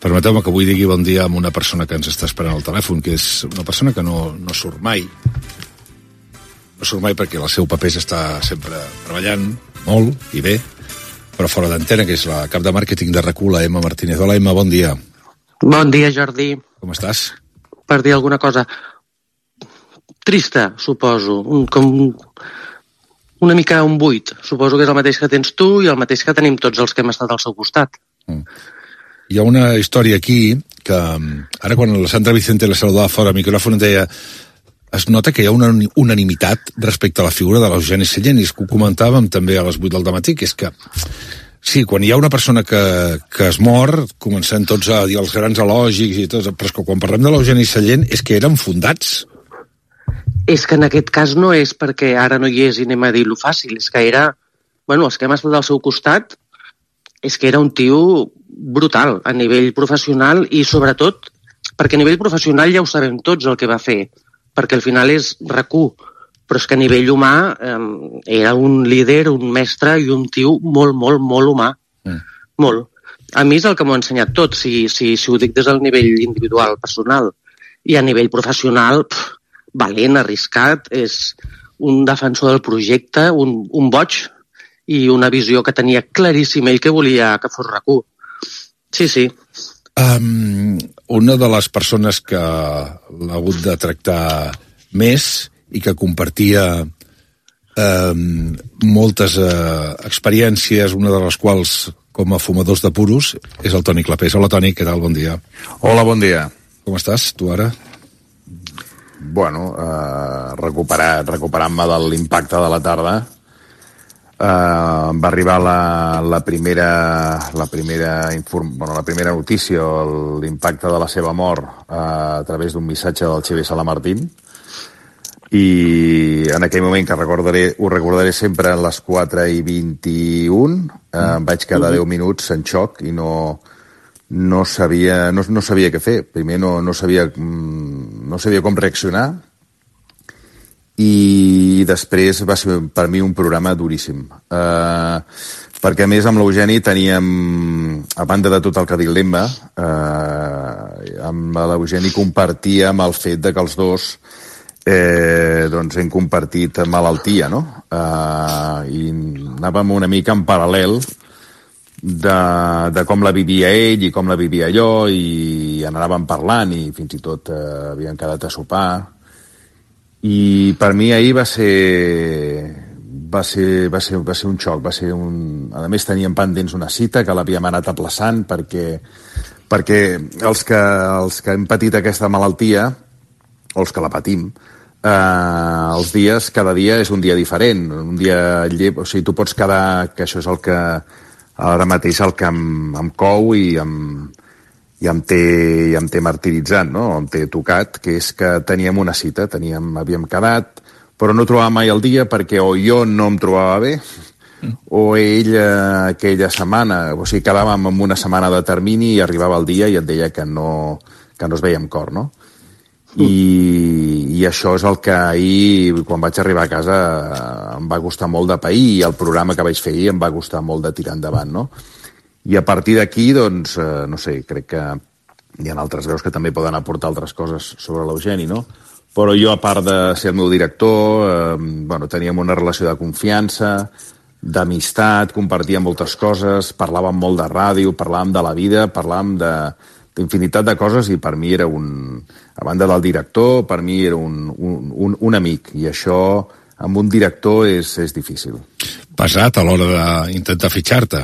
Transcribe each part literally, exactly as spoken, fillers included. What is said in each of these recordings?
Permeteu-me que avui digui bon dia a una persona que ens està esperant al telèfon, que és una persona que no, no surt mai. No surt mai perquè el seu paper està sempre treballant molt i bé, però fora d'antena, que és la cap de màrqueting de RAC u, la Emma Martínez. Hola, Emma, bon dia. Bon dia, Jordi. Com estàs? Per dir alguna cosa trista, suposo, un, com una mica un buit. Suposo que és el mateix que tens tu i el mateix que tenim tots els que hem estat al seu costat. Mm. Hi ha una història aquí que ara quan la Sandra Vicente la saludava fora al micròfon deia, es nota que hi ha una unanimitat respecte a la figura de l'Eugeni Sallent, i és que ho comentàvem també a les vuit del dematí, que és que sí, quan hi ha una persona que, que es mor, comencem tots a dir els grans elogis i tot, però és que quan parlem de l'Eugeni Sallent és que eren fundats. És que en aquest cas no és perquè ara no hi és i anem a dir-lo fàcil, és que era, bueno, els que hem estat al seu costat, és que era un tio brutal a nivell professional i sobretot perquè a nivell professional ja ho sabem tots el que va fer, perquè al final és RAC u, però és que a nivell humà eh, era un líder, un mestre i un tio molt, molt, molt humà. Mm. Molt. A mi és el que m'ho ha ensenyat tot, si, si, si ho dic des del nivell individual, personal. I a nivell professional, pff, valent, arriscat, és un defensor del projecte, un, un boig i una visió que tenia claríssima i que volia que fos RAC u. Sí, sí. Um, una de les persones que l'ha hagut de tractar més i que compartia um, moltes uh, experiències, una de les quals com a fumadors de puros, és el Toni Clapés. Hola, Toni, què tal? Bon dia. Hola, bon dia. Com estàs, tu ara? Bueno, uh, recuperat, recuperant-me de l'impacte de la tarda. Uh, va arribar la, la primera la primera inform, bueno, la primera notícia, l'impacte de la seva mort uh, a través d'un missatge del Xavier Salamartín, i en aquell moment, que recordaré, ho recordaré sempre, a les quatre i vint-i-un uh, em vaig quedar deu minuts en xoc i no no sabia, no, no sabia què fer. Primer no, no sabia no sabia com reaccionar, i després va ser per mi un programa duríssim. Uh, perquè a més amb l'Eugeni teníem, a banda de tot el que ha dit l'Emma, uh, amb l'Eugeni compartíem el fet de que els dos eh, doncs hem compartit malaltia, no? Uh, I anàvem una mica en paral·lel de, de com la vivia ell i com la vivia jo, i anàvem parlant i fins i tot uh, havíem quedat a sopar. I per mi ahir va ser, va ser, va ser, va ser un xoc, va ser un... A més teníem pendents una cita que l'havíem anat aplaçant perquè, perquè els, que, els que hem patit aquesta malaltia, o els que la patim, eh, els dies, cada dia és un dia diferent, un dia llep, o sigui, tu pots quedar, que això és el que ara mateix el que em, em cou i em... i em té, i em té martiritzat, no? Em té tocat, que és que teníem una cita, teníem, havíem quedat, però no trobàvem mai el dia perquè o jo no em trobava bé, mm. o ell eh, aquella setmana, o sigui, quedàvem en una setmana de termini i arribava el dia i et deia que no, que no es veia amb cor, no? Mm. I, I això és el que ahir, quan vaig arribar a casa, em va costar molt de pair, i el programa que vaig fer ahir em va costar molt de tirar endavant, no? I a partir d'aquí, doncs, eh, no sé, crec que hi ha altres veus que també poden aportar altres coses sobre l'Eugeni, no? Però jo, a part de ser el meu director, eh, bueno, teníem una relació de confiança, d'amistat, compartíem moltes coses, parlàvem molt de ràdio, parlàvem de la vida, parlàvem de, d'infinitat de coses, i per mi era un... A banda del director, per mi era un, un, un, un amic, i això amb un director és, és difícil. Pesat a l'hora d'intentar fitxar-te.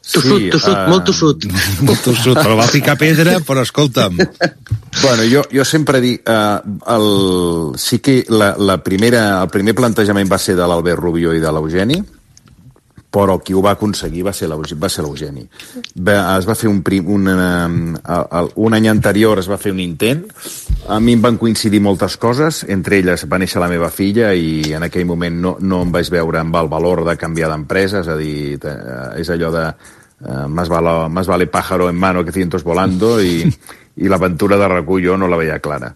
Tossut, sí, tossut, uh... molt tossut. Molt tossut, però va picar pedra, però escolta'm. Bueno, jo, jo sempre dic, uh, el, sí que la, la primera, el primer plantejament va ser de l'Albert Rubio i de l'Eugeni, però qui ho va aconseguir va ser l'Eugeni. Es va fer un, prim, un, uh, un any anterior es va fer un intent, a mi em van coincidir moltes coses, entre elles va néixer la meva filla i en aquell moment no, no em vaig veure amb el valor de canviar d'empresa, és a dir, és allò de Uh, más, vale, más vale pájaro en mano que cientos volando, i, i l'aventura de RAC u jo no la veia clara.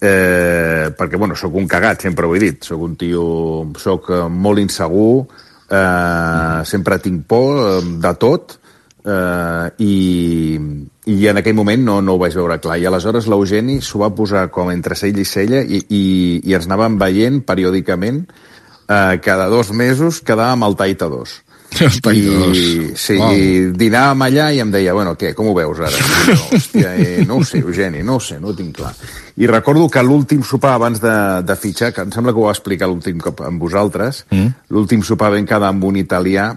Eh, perquè, bueno, sóc un cagat, sempre ho he dit, sóc un tio, sóc molt insegur, eh, sempre tinc por de tot, Uh, i, i en aquell moment no, no ho vaig veure clar, i aleshores l'Eugeni s'ho va posar com entre cella i cella i, i, i ens anàvem veient periòdicament, uh, cada dos mesos quedàvem al Taita dos. El Taita dos. Sí, wow. I dinàvem allà i em deia, bueno, què, com ho veus ara? I jo, hòstia, eh, no ho sé, Eugeni, no ho sé, no ho tinc clar. I recordo que l'últim sopar abans de, de fitxar, que em sembla que ho va explicar l'últim cop amb vosaltres, mm. l'últim sopar vam quedar amb un italià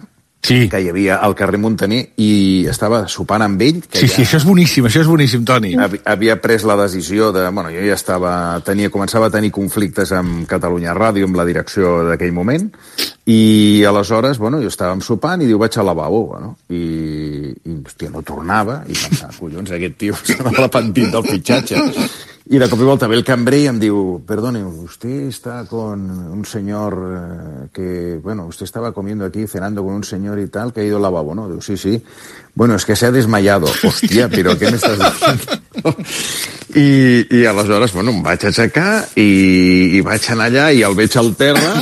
sí. que hi havia al carrer Montaner i estava sopant amb ell. Que sí, ja sí, això és boníssim, això és boníssim, Toni. Havia, havia pres la decisió de... Bueno, jo ja estava... Tenia, començava a tenir conflictes amb Catalunya Ràdio, amb la direcció d'aquell moment, i aleshores, bueno, jo estàvem sopant i diu, vaig al lavabo, bueno, i, i hòstia, no tornava, i pensava, collons, aquest tio s'ha arrepentit del fitxatge. Y de cop y volta ve el cambrer y em diu, perdone, usted está con un señor eh, que, bueno, usted estaba comiendo aquí, cenando con un señor y tal, que ha ido al lavabo, ¿no? Diu, sí, sí. Bueno, es que se ha desmayado. Hòstia, però què m'estàs dient? I, I aleshores, bueno, em vaig aixecar i, i vaig anar allà i el veig al terra,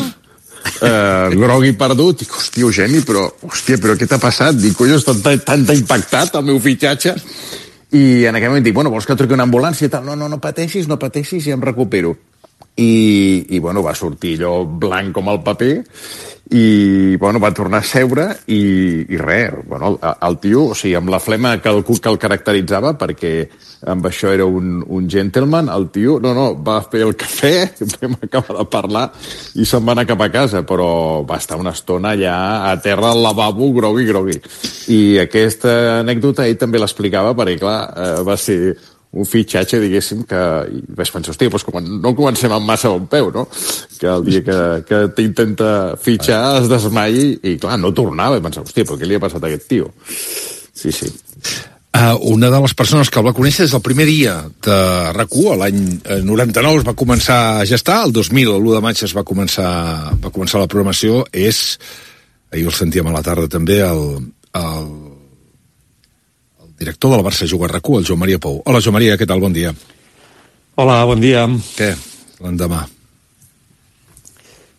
eh, grog i perdut, dic, hòstia, Eugeni, però, hòstia, però què t'ha passat? Dic, collons, t'ha tan impactat el meu fitxatge. I en aquell moment dic, bueno, vols que truqui una ambulància i tal? No, no, no pateixis, no pateixis, i em recupero. I, i bueno, va sortir allò blanc com el paper i, bueno, va tornar a seure i, i res, bueno, el, el tio, o sigui, amb la flema que el, que el caracteritzava, perquè amb això era un, un gentleman, el tio, no, no, va fer el cafè, vam acabar de parlar i se'n va anar cap a casa, però va estar una estona allà a terra al lavabo, grogui, grogui. I aquesta anècdota ell també l'explicava perquè, clar, eh, va ser un fitxatge, diguéssim, que i vaig pensar, hòstia, doncs com no comencem amb massa bon peu, no? Que el dia que, que t'intenta fitxar es desmai i, clar, no tornava. I pensava, hòstia, però què li ha passat a aquest tio? Sí, sí. Uh, una de les persones que el va conèixer des del primer dia de RAC u, l'any noranta-nou es va començar a gestar, el dos mil, l'u de maig es va començar, va començar la programació, és, ahir el sentíem a la tarda també, el, el director del Barça Juga RAC u, el Joan Maria Pou. Hola, Joan Maria, què tal? Bon dia. Hola, bon dia. Què? L'endemà.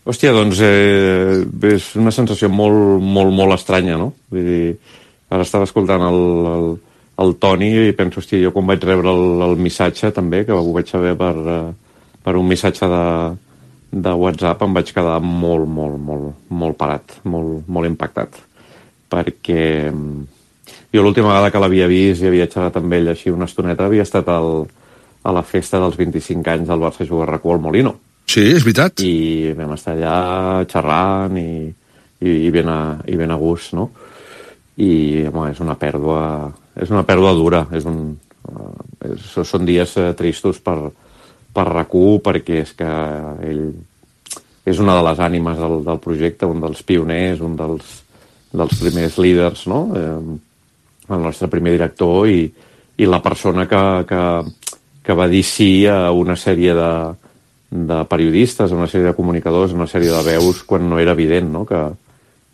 Hòstia, doncs eh, és una sensació molt, molt, molt estranya, no? Vull dir, ara estava escoltant el, el, el Toni i penso, hòstia, jo quan vaig rebre el, el missatge també, que ho vaig saber per, per un missatge de, de WhatsApp, em vaig quedar molt, molt, molt, molt parat, molt, molt impactat. Perquè jo l'última vegada que l'havia vist i havia xerrat amb ell així una estoneta havia estat al, a la festa dels vint-i-cinc anys del Barça Juga RAC u al Molino. Sí, és veritat. I vam estar allà xerrant i, i, i, ben, a, i ben a gust, no? I, home, és una pèrdua, és una pèrdua dura. És un, uh, és, són dies uh, tristos per, per RAC u perquè és que ell és una de les ànimes del, del projecte, un dels pioners, un dels, dels primers líders, no? Eh, el nostre primer director i, i la persona que, que, que va dir sí a una sèrie de, de periodistes, a una sèrie de comunicadors, a una sèrie de veus quan no era evident, no? que,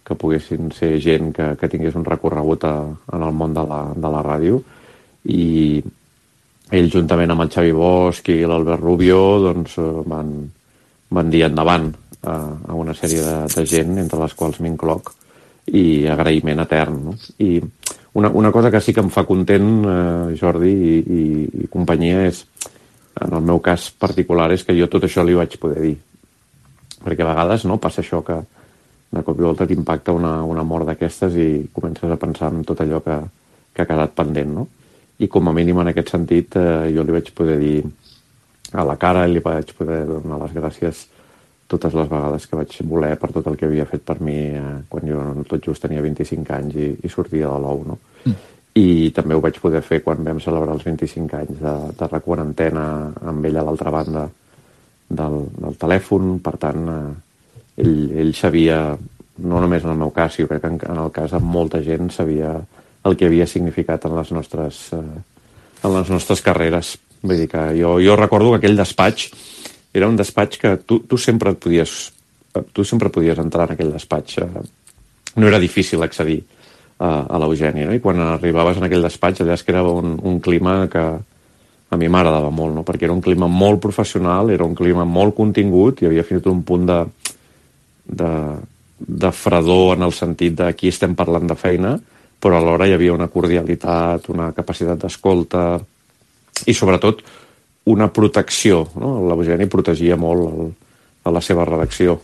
que poguessin ser gent que, que tingués un recorregut a, en el món de la, de la ràdio. I ell, juntament amb el Xavi Bosch i l'Albert Rubio, doncs, van, van dir endavant a, a una sèrie de, de gent, entre les quals m'incloc, i agraïment etern, no? I una, una cosa que sí que em fa content, eh, Jordi i, i, i companyia, és, en el meu cas particular, és que jo tot això li vaig poder dir. Perquè a vegades, no, passa això que de cop i volta t'impacta una, una mort d'aquestes i comences a pensar en tot allò que, que ha quedat pendent, no? I com a mínim en aquest sentit eh, jo li vaig poder dir a la cara i li vaig poder donar les gràcies totes les vegades que vaig voler per tot el que havia fet per mi eh, quan jo tot just tenia vint-i-cinc anys i, i sortia de l'ou, no? Mm. I també ho vaig poder fer quan vam celebrar els vint-i-cinc anys de, de RAC u en antena amb ell a l'altra banda del, del telèfon. Per tant, eh, ell, ell sabia, no només en el meu cas, sinó crec que en, en el cas de molta gent, sabia el que havia significat en les nostres, eh, en les nostres carreres. Vull dir que jo, jo recordo que aquell despatx era un despatx que tu, tu sempre et podies tu sempre podies entrar en aquell despatx. No era difícil accedir a, a l'Eugeni, no? I quan arribaves en aquell despatx, allà és que era un, un clima que a mi m'agradava molt, no? Perquè era un clima molt professional, era un clima molt contingut, i havia fins un punt de, de, de fredor en el sentit de aquí estem parlant de feina, però alhora hi havia una cordialitat, una capacitat d'escolta i, sobretot, una protecció. No? L'Eugeni protegia molt el, a la seva redacció.